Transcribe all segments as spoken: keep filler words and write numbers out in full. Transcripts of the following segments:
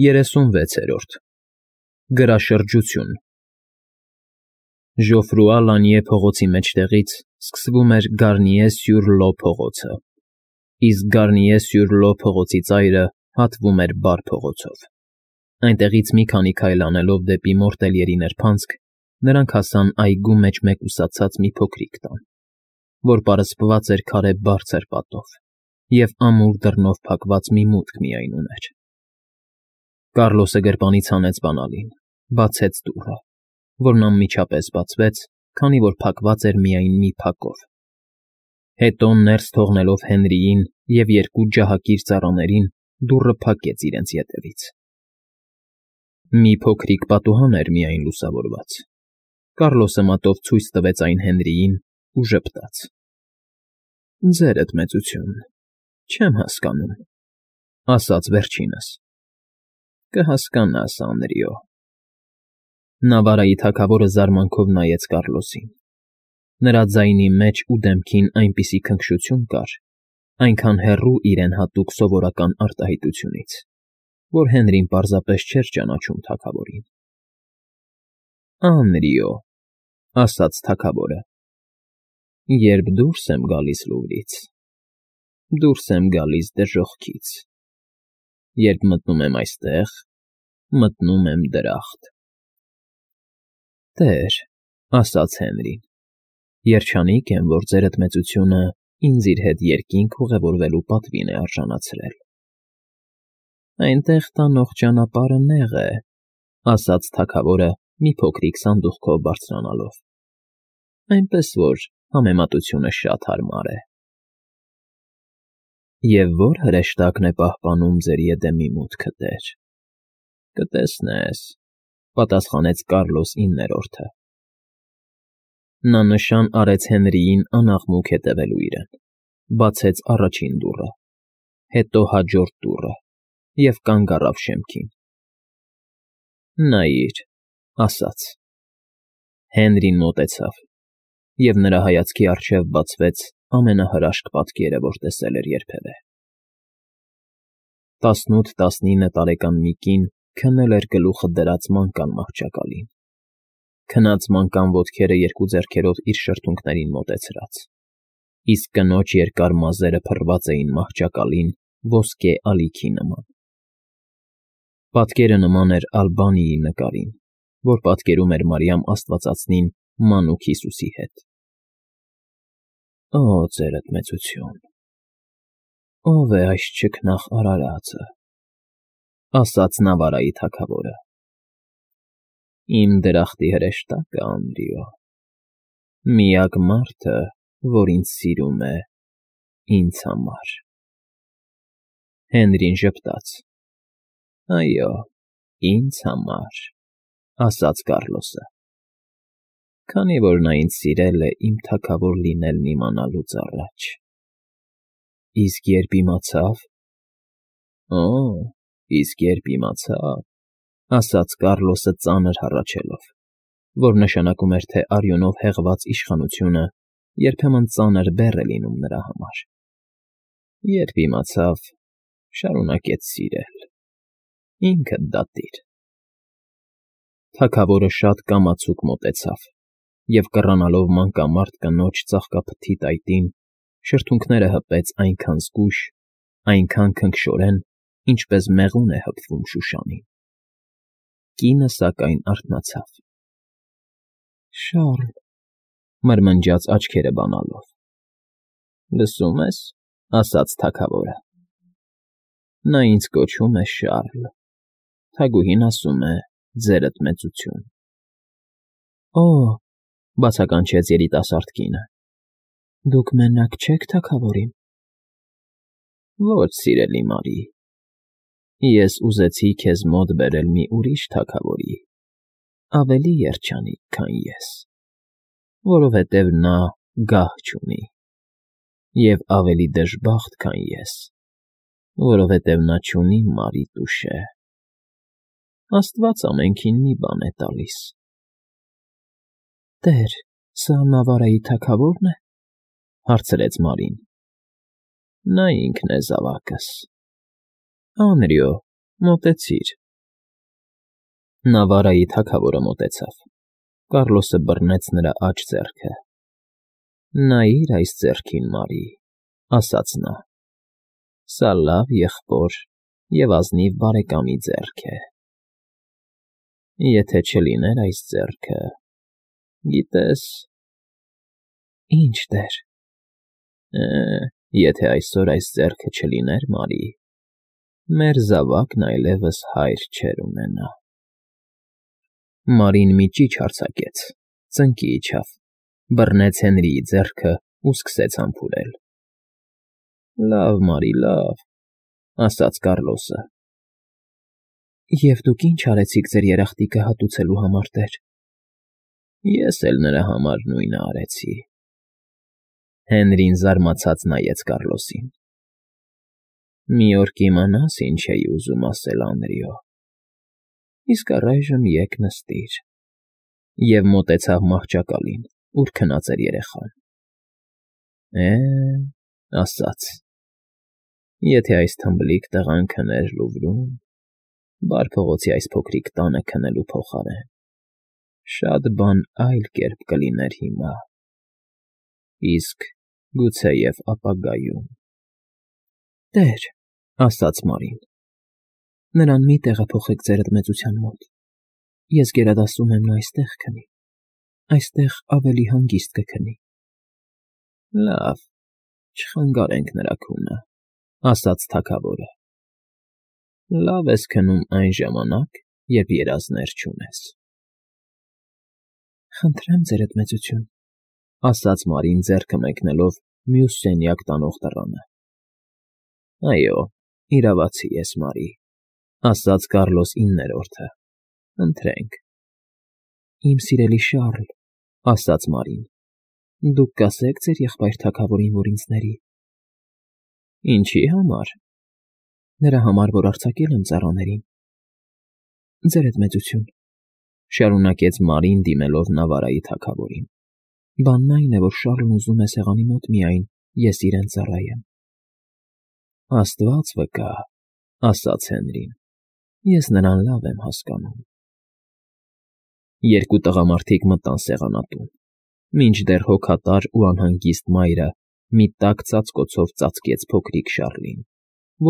Երեսունվեցերորդ Գրաշրջություն Ժոֆրուա Լանիե փողոցի մեջտեղից սկսվում էր Գարնիե֊սյուր֊Լո փողոցը, իսկ Գարնիե֊սյուր֊Լո փողոցի ծայրը հատվում էր Բար փողոցով. այնտեղից մի քանի քայլ անելով դեպի Մորտելյերի նրբանցք, նրանք հասան այգու մեջ մեկուսացած մի փոքրիկ տան, որ պարսպված էր քարե բարձր պատով և ամուր դռնով փակված մի մուտք միայն ուներ. Կառլոսը գրպանից հանեց բանալին, բացեց դուռը, որն անմիջապես բացվեց, քանի որ փակված էր միայն մի փակով, հետո ներս թողնելով Հենրիին և երկու ջահակիր ծառաներին, դուռը փակեց իրենց ետևից. Մի փոքրիկ պատուհան էր միայն լուսավորված. Կառլոսը մատով ցույց տվեց այն Հենրիին ու ժպտաց. ֊ Ձերդ մեծություն, չեմ հասկանում, ասաց վերջինս. Կհասկանաս, Անրիո… Նավարայի թագավորը զարմանքով նայեց Կառլոսին. նրա ձայնի մեջ ու դեմքին այնպիսի քնքշություն կար, այնքան հեռու իրեն հատուկ սովորական արտահայտությունից, որ Հենրին պարզապես չէր ճանաչում թագավորին։ ֊ Անրիո, ասաց թագավորը, երբ դուրս եմ գալիս լուռից, դուրս եմ գալիս դժոխքից, երբ մտնում եմ այստեղ, մտնում եմ դրախտ։ ֊ Տեր, ասաց Հենրին, երջանիկ եմ, որ ձերդ մեծությունը ինձ իր հետ երկինք ուղևորվելու պատվին է արժանացրել։ ֊ Այնտեղ տանող ճանապարհը նեղ է, ասաց թագավորը մի փոքրիկ սանդուղքով բարձրանալով, այնպես որ համեմատությունը շատ հարմար է։ ֊ Եվ ո՞ր հրեշտակն է պահպանում ձեր եդեմի մուտքը, տեր։ ֊ Կտեսնես, պատասխանեց Կառլոս իններորդը։ Նա նշան արեց Հենրիին անաղմուկ հետևելու իրեն, բացեց առաջին դուռը, հետո հաջորդ դուռը և կանգ առավ շեմքին։ ֊ Նայիր, ասաց։ Հենրին մոտեցավ, և նրա հայացքի առջև բացվեց ամենահրաշք պատկերը, որ տեսել էր երբևէ. տասնութ֊տասնինը տարեկան մի կին քնել էր գլուխը դրած մանկան մահճակալին, քնած մանկան ոտքերը երկու ձեռքերով իր շրթունքներին մոտեցրած, իսկ կնոջ երկար մազերը փռված էին մահճակալին ոսկե ալիքի նման։ Պատկերը նման էր Ալբանիի նկարին, որ պատկերում էր Մարիամ Աստվածածնին մանուկ Հիսուսի հետ։ ֊ Օ, ձերդ մեծություն, ո՞վ է այս չքնաղ արարածը,֊ ասաց նավարայի թագավորը։ ֊ Իմ դրախտի հրեշտակը, Անրիո, միակ մարդը, որ ինձ սիրում է ինձ համար… Հենրին ժպտաց. ֊ Այո, ինձ համար, ասաց Կառլոսը, քանի որ նա ինձ սիրել է իմ թագավոր լինելն իմանալուց առաջ։ ֊ Իսկ երբ իմացավ… ֊ Օ, իսկ երբ իմացավ, ասաց Կառլոսը ծանր հառաչելով, որ նշանակում էր, թե արյունով հեղված իշխանությունը երբեմն ծանր բեռ է լինում նրա համար… Երբ իմացավ, շարունակեց սիրել… Ինքդ դատիր… Թագավորը շատ կամացուկ մոտեցավ և, կռանալով մանկամարտ կնոջ ծաղկափթի տայտին, շրթունքները հպեց այնքան զգույշ, այնքան քնքշորեն, ինչպես մեղուն է հպվում շուշանին… Կինը, սակայն, արթնացավ։ ֊ Շառլ,֊ մրմնջաց աչքերը բանալով։ ֊ Լսում ես,֊ ասաց թագավորը։ Նա ինձ կոչում է Շառլ, թագուհին ասում է ձերդ մեծություն։ ֊ Օ՜, բացականչեց երիտասարդ կինը, դուք մենակ չե՞ք թագավորին։ ֊ Ոչ, սիրելի Մարի, ես ուզեցի քեզ մոտ բերել մի ուրիշ թագավորի, ավելի երջանիկ, քան ես, որովհետև նա գահ չունի, և ավելի դժբախտ, քան ես, որովհետև նա չունի Մարի տուշե… Աստված ամենքին մի բան է տալիս։ ֊ Տեր, սա Նավարայի թագավո՞րն է,֊ հարցրեց Մարին։ ֊ Նա ինքն է, զավակս։ ֊ Անրիո, մոտեցիր, Նավարայի թագավորը մոտեցավ։ Կառլոսը բռնեց նրա աջ ձեռքը։ Նայիր այս ձեռքին, Մարի, ասաց նա։ Սա լավ եղբոր և ազնիվ բարեկամի ձեռք է։ Եթե չլիներ այս ձեռքը, գիտես… Ինչ, տեր… Է, եթե այսօր այս ձեռքը չլիներ, Մարի, մեր զավակն այլևս հայր չէր ունենա։ Մարին մի ճիչ արձակեց, ծնկի իջավ, բռնեց Հենրիի ձեռքը ու սկսեց համբուրել։ Լավ, Մարի, լավ, ասաց Կառլոսը։ Եվ դուք ի՞նչ արեցիք ձեր երախտիկը հատուցելու համար, տեր։ Ես էլ նրա համար նույնը արեցի։ Հենրին զարմացած նայեց Կառլոսին։ Մի օր կիմանաս ինչ էի ուզում ասել, Անդրեո։ Իսկ առայժմ եկ նստիր։ Եվ մոտեցավ մահճակալին, ուր քնած էր երեխան։ Է, ասաց. Եթե այս թմբլիկ տղան քներ Լուվրում, Բար փողոցի այս փոքրիկ տանը քնելու փոխարեն, շատ բան այլ կերպ կլիներ հիմա, իսկ գուցեև ապագայում։ Տեր, ասաց Մարին, նրան մի տեղափոխեք ձերդ մեծության մոտ։ Ես գերադասում եմ նա այստեղ քնի, այստեղ ավելի հանգիստ կքնի։ Լավ, չխանգարենք նրա քունը, ասաց թագավորը։ Լավ ես քնում այն ժամանակ, երբ երազներ չունես։ Խնդրեմ ձերդ մեծություն, ասաց Մարին ձեռքը մեկնելով մյուս սենյակ տանող դռանը։ Այո, իրավացի ես, Մարի, ասաց Կառլոս իններորդը։ Ընթրենք։ Իմ սիրելի Շառլ, ասաց Մարին, դուք կասեք ձեր եղբայր թագավորին, որ ինձ ների։ Ինչի համար։ Նրա համար, որ արձակել եմ ծառաներին։ Ձերդ մեծություն, շարունակեց Մարին դիմելով նավարայի թագավորին։ Բանն այն է, որ Շառլն ուզում է սեղանի մոտ միայն ես իրեն ծառայեմ։ Աստված վկա, ասաց Հենրին, ես նրան լավ եմ հասկանում։ Երկու տղամարդիկ մտան սեղանատուն, մինչդեռ հոգատար ու անհանգիստ մայրը մի տաք ծածկոցով ծածկեց փոքրիկ Շառլին,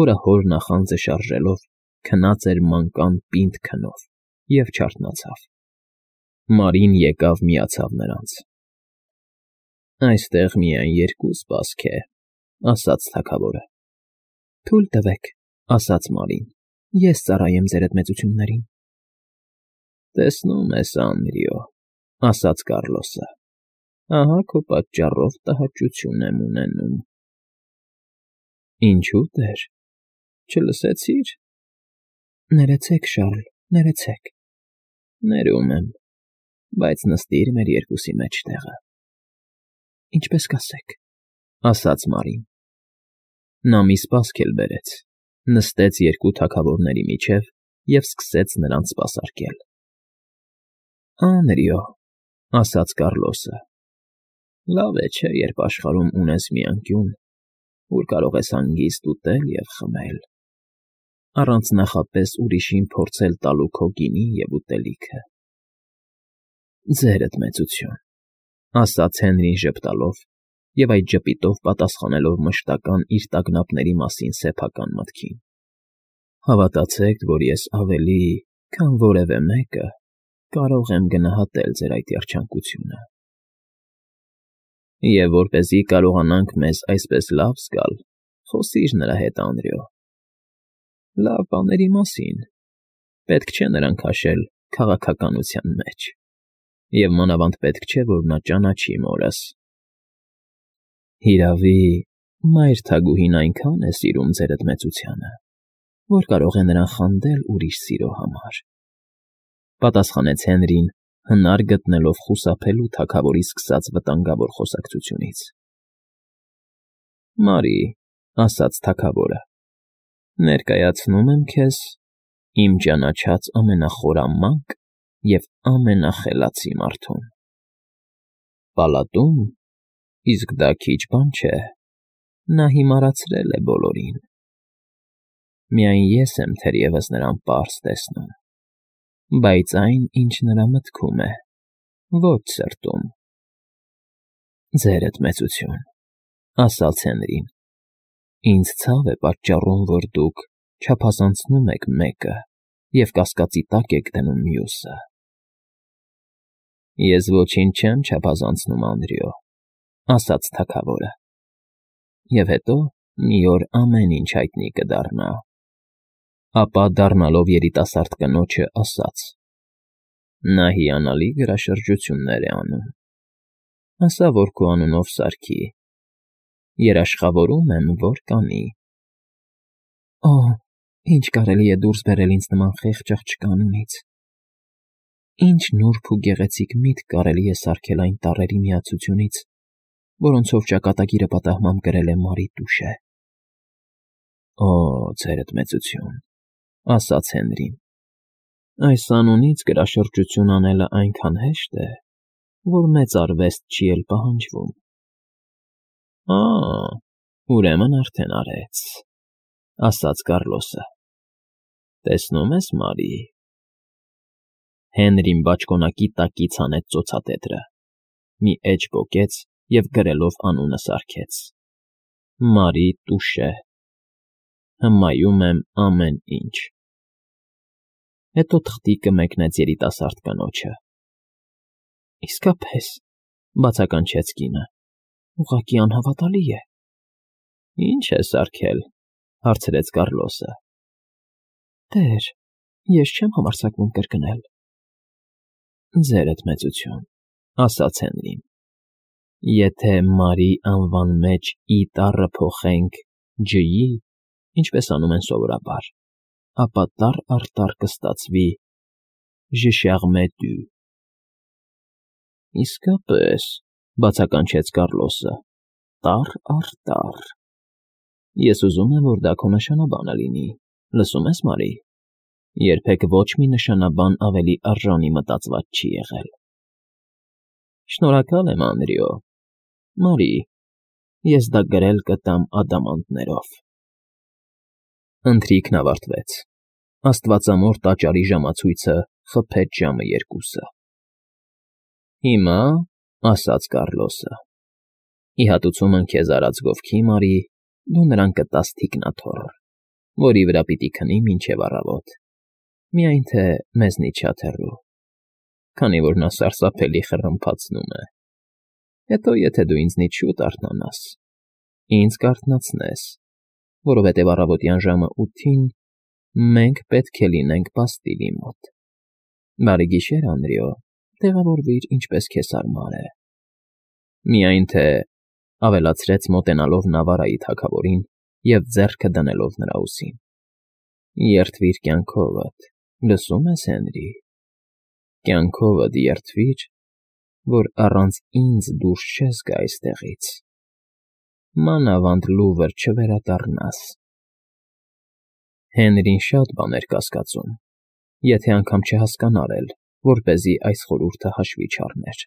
որը հոր նախանձը շարժելով քնած էր մանկան պինդ քնով և չարթնացավ։ Մարին եկավ միացավ նրանց։ Այստեղ միայն երկու սպասք է, ասաց թագավորը։ Թույլ տվեք, ասաց Մարին, ես ծառայեմ ձերդ մեծություններին։ Տեսնում ես, Անդրեո, ասաց Կառլոսը, ահա քո պատճառով տհաճություն եմ ունենում։ Ինչու, տեր, չլսեցի՞ր։ Ներեցեք, Շառլ, ներեցեք։ Ներում եմ, բայց նստիր մեր երկուսի մեջտեղը։ Ինչպես կասեք, ասաց Մարին։ Նա մի սպասք էլ բերեց, նստեց երկու թագավորների միջև և սկսեց նրանց սպասարկել։ Անդրեո, ասաց Կառլոսը, լավ է, չէ, երբ աշխարհում ունես մի անկյուն, ուր կարող ես հանգիստ ուտել և խմել, առանց նախապես ուրիշին փորձել տալու քո գինին և ուտելիքը։ Ձերդ մեծություն, ասաց Հենրին ժպտալով և այդ ժպիտով պատասխանելով մշտական իր տագնապների մասին սեփական մտքին։ Հավատացեք, որ ես ավելի, քան որևէ մեկը, կարող եմ գնահատել ձեր այդ երջանկությունը։ Եվ որպեսզի կարողանանք մեզ այսպես լավ զգալ, խոսիր նրա հետ, Անդրեո։ Լավ բաների մասին, պետք չէ նրան քաշել քաղաքականության մեջ, և մանավանդ պետք չէ, որ նա ճանաչի մորս։ Հիրավի, մայր թագուհին այնքան է սիրում ձերդ մեծությանը, որ կարող է նրան խանդել ուրիշ սիրո համար, պատասխանեց Հենրին, հնար գտնելով խուսափելու թագավորի սկսած վտանգավոր խոսակցությունից։ Մարի, ասաց թագավորը, ներկայացնում եմ քեզ իմ ճանաչած ամենախորամանկ և ամենախելացի մարդուն։ Պալատում, իսկ դա քիչ բան չէ, նա հիմարացրել է բոլորին։ Միայն ես եմ թերևս նրան պարզ տեսնում։ բայց այն, ինչ նրա մտքում է, ոչ սրտում։ Ձերդ մեծություն, ասաց Հենրին, ինձ ցավ է պատճառում, որ դուք չափազանցնում եք մեկը և կասկածի տակ եք դնում մյուսը։ Ես ոչինչ չեմ չափազանցնում, Անդրեո, ասաց թագավորը, և հետո մի օր ամեն ինչ հայտնի կդառնա։ Ապա դառնալով երիտասարդ կնոջը ասաց. նա հիանալի գրաշրջություններ է անում, ասա, որ քո անունով սարքի, երաշխավորում եմ, որ կանի։ Օ, ինչ կարելի է դուրս բերել ինձ նման խեղճ աղջկա անունից, ինչ նուրբ ու գեղեցիկ միտք կարելի է սարքել այն տառերի միացությունից, որոնցով ճակատագիրը պատահմամբ գրել է Մարի Տուշե։ Օ, ձերդ մեծություն, ասաց Հենրին, այս անունից գրաշրջություն անելը այնքան հեշտ է, որ մեծ արվեստ չի էլ պահանջվում։ Ա, ուրեմն արդեն արեց, ասաց Կառլոսը, տեսնում ես, Մարի… Հենրին բաճկոնակի տակից հանեց ծոցատետրը, մի էջ պոկեց և գրելով անունը սարքեց. Մարի Տուշե, հմայում եմ ամեն ինչ։ Հետո թղթիկը մեկնեց երիտասարդ կնոջը։ Իսկապես, բացականչեց կինը, ուղղակի անհավատալի է։ Ինչ է սարքել, հարցրեց Կառլոսը։ Տեր, ես չեմ համարձակվում կրկնել։ Ձերդ մեծություն, ասաց Հենրին, եթե Մարի անվան մեջ ի տառը փոխենք ջ-ի, ինչպես անում են սովորաբար, ապա տառ առ տառ կստացվի Ժշեղմեդյու։ Իսկապես, բացականչեց Կառլոսը, տառ առ տառ։ Ես ուզում եմ, որ դա քո նշանաբանը լինի, լսում ես, Մարի, երբեք ոչ մի նշանաբան ավելի արժանի մտածված չի եղել։ Շնորհակալ եմ, Անդրեո, Մարի, ես դա գրել կտամ ադամանդներով։ Ընթրիքն ավարտվեց, աստվածամոր տաճարի ժամացույցը խփեց ժամը երկուսը։ Հիմա, ասաց Կառլոսը, ի հատուցումն քեզ արած գովքի, Մարի, դու նրան կտաս թիկնաթոռ, որի վրա պիտի քնի մինչև առավոտ, միայն թե մեզնից շատ հեռու, քանի որ նա սարսափելի խռմփացնում է։ Հետո, եթե դու ինձնից շուտ արթնանաս, ինձ կարթնացնես, որովհետև առավոտյան ժամը ութին մենք պետք է լինենք պաստիլի մոտ։ Բարի գիշեր, Անդրեո, տեղավորվիր, ինչպես քեզ հարմար է։ Միայն թե, ավելացրեց մոտենալով Նավարայի թագավորին և ձեռքը դնելով նրա ուսին, երդվիր կյանքովդ, լսում ես, Հենրի, կյանքովդ երդվիր, որ առանց ինձ դուրս չես գա այստեղից, մանավանդ լուվր չվերադառնաս։ Հենրին շատ բան էր կասկածում, եթե անգամ չհասկանար էլ, որպեսզի այս խորհուրդը հաշվի չառներ։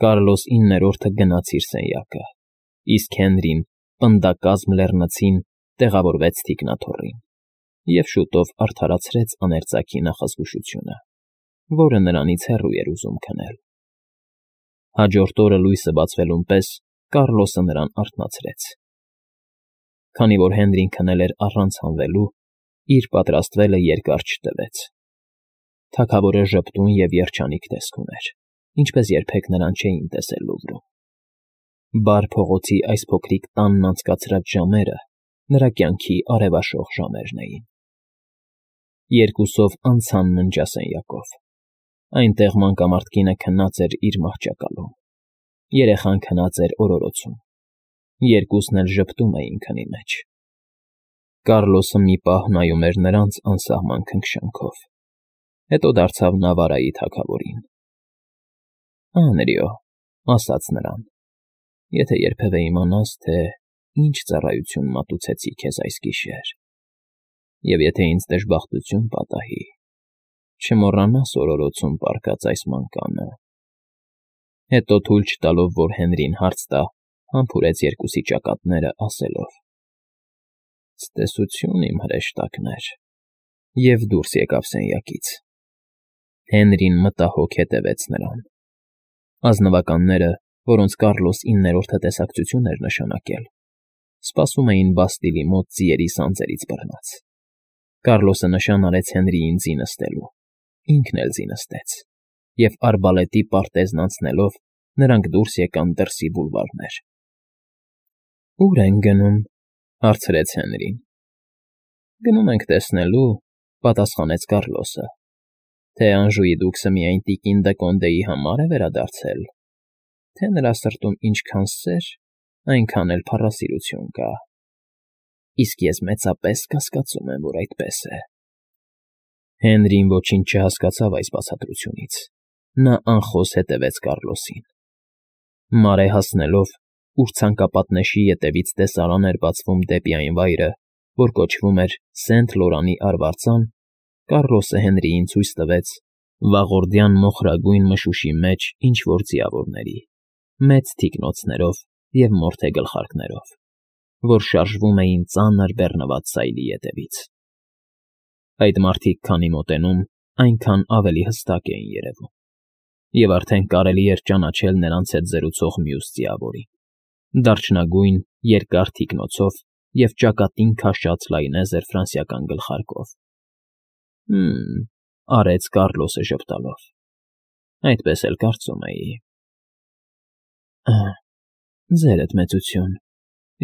Կառլոս իններորդը գնաց իր սենյակը, իսկ Հենրին պնդակազմ լեռնցին տեղավորվեց թիկնաթոռին և շուտով արդարացրեց աներծակի նախազգուշությունը, որը նրանից հեռու էր ուզում քնել։ Հաջորդ օրը լույսը բացվելուն պես Կառլոսը նրան արթնացրեց։ Քանի որ Հենրին քնել էր առանց հանվելու, իր պատրաստվելը երկար չտևեց։ Թագավորը ժպտուն և երջանիկ տեսք ուներ, ինչպես երբեք նրան չէին տեսել Լուվրում։ Բար փողոցի այս փոքրիկ տանն անցկացրած ժամերը նրա կյանքի արևաշող ժամերն էին։ Երկուսով անցան ննջասենյակով։ Այնտեղ մանկամարդ կինը քնած էր իր մահճակալում, երեխան քնած էր օրորոցում, երկուսն էլ ժպտում էին քնի մեջ։ Կառլոսը մի պահ նայում էր նրանց անսահման քնքշանքով, հետո դարձավ Նավարայի թագավորին։ Անդրեո, ասաց նրան, եթե երբևէ իմանաս, թե ինչ ծառայություն մատուցեցի քեզ այս գիշեր, և եթե ինձ դժբախտություն պատահի, չմոռանաս օրորոցում պառկած այս մանկանը։ Հետո թույլ չտալով, որ Հենրին հարց տա, համբուրեց երկուսի ճակատները, ասելով. Ցտեսություն, իմ հրեշտակներ, և դուրս եկավ սենյակից։ Հենրին մտահոգ հետևեց նրան։ Ազնվականները, որոնց Կառլոս իններորդը տեսակցություն էր նշանակել, սպասում էին Բաստիլի մոտ ձիերի սանձերից բռնած։ Կառլոսը նշան արեց Հենրիին ձի նստելու, ինքն էլ ձի նստեց, և արբալետի պարտեզն անցնելով նրանք դուրս եկան դրսի բուլվարներ։ ֊ Ո՞ւր ենք գնում,֊ հարցրեց Հենրին։ ֊ Գնում ենք տեսնելու,֊ պատասխանեց Կառլոսը, թե Անժուի դուքսը միայն տիկին Դը համար է վերադարձել, թե նրա սրտում ինչքան սեր, այնքան էլ փառասիրություն կա, իսկ ես մեծապես կասկածում եմ, որ այդպես է։ Հենրին ոչինչ չհասկացավ այս բացատրությունից։ Նա անխոս հետևեց Կառլոսին։ Մարե հասնելով, ուր ցանկապատնեշի ետևից տեսարան էր բացվում դեպի այն վայրը, որ կոչվում էր Սենթ Լորանի արվարձան, Կառլոսը Հենրիին ցույց տվեց վաղորդյան մոխրագույն մշուշի մեջ ինչ֊որ ձիավորների, մեծ թիկնոցներով և մորթե գլխարկներով, որ շարժվում էին ծանր բեռնված սայլի ետևից։ Այդ մարդիկ քանի մոտենում, այնքան ավելի հստակ էին երևում, և արդեն կարելի էր ճանաչել նրանց հետ զրուցող մյուս ձիավորին՝ դարչնագույն, երկար թիկնոցով և ճակատին քաշած լայնեզր ֆրանսիական գլխարկով։ «Հը՜մ,֊ արեց Կառլոսը ժպտալով,֊ այդպես էլ կարծում էի»։ ֊ Ձերդ մեծություն,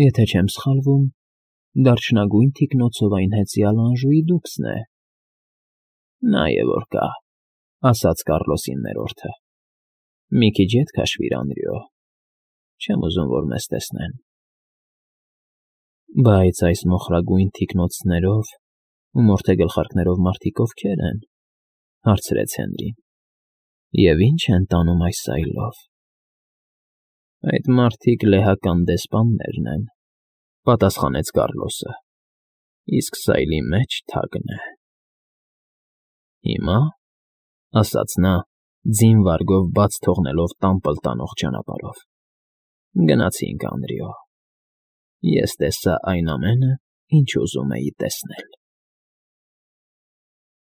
եթե չեմ սխալվում, դարչնագույն թիկնոցով այն հեծյալ Անժուի դուքսն է։ ֊ Նա է որ կա,֊ ասաց Կառլոս իններորդը,֊ մի քիչ ետ քաշվիր, Անրիո, չեմ ուզում, որ մեզ տեսնեն։ ֊ Բայց այս մոխրագույն թիկնոցներով ու մորթե գլխարկներով մարդիկ ովքե՞ր են,֊ հարցրեց Հենրին,֊ և ի՞նչ են տանում այս սայլով։ ֊ Այդ մարդիկ լեհական դեսպաններն են,֊ պատասխանեց Կառլոսը,֊ իսկ սայլի մեջ թագն է։ ֊ Հիմա,֊ ասաց նա, ձին վարգով բաց թողնելով տամբլ տանող ճանապարհով,֊ գնացինք, Անրիո, ես տեսա այն ամենը, ինչ ուզում էի տեսնել։